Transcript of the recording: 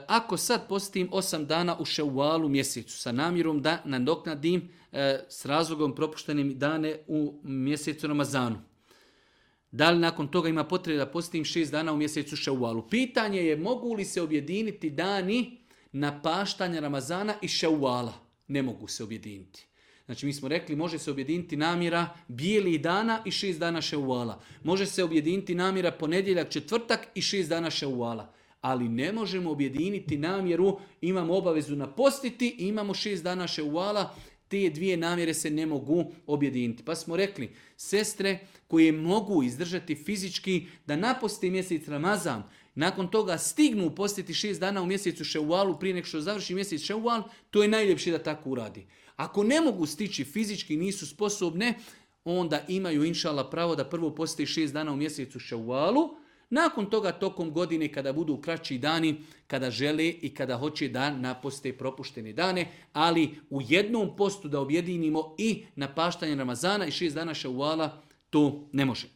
Ako sad postim 8 dana u Ševalu mjesecu sa namjerom da nadoknadim s razlogom propuštenim dane u mjesecu Ramazanu. Da li nakon toga ima potrebe da postim 6 dana u mjesecu Ševalu? Pitanje je mogu li se objediniti dani napaštanja Ramazana i Ševala? Ne mogu se objediniti. Znači mi smo rekli može se objediniti namjera bijelih dana i 6 dana Ševala. Može se objediniti namjera ponedjeljak, četvrtak i 6 dana Ševala. Ali ne možemo objediniti namjeru, imamo obavezu napostiti i imamo 6 dana Ševala, te dvije namjere se ne mogu objediniti. Pa smo rekli, sestre koje mogu izdržati fizički da naposte mjesec Ramazan, nakon toga stignu postiti 6 dana u mjesecu Ševalu prije nego što završi mjesec Ševal, to je najljepše da tako uradi. Ako ne mogu stići fizički, nisu sposobne, onda imaju inšala pravo da prvo posti 6 dana u mjesecu Ševalu, nakon toga tokom godine kada budu kraći dani, kada žele i kada hoće da naposte propuštene dane, ali u jednom postu da objedinimo i napaštanje Ramazana i 6 dana Ševala, to ne može.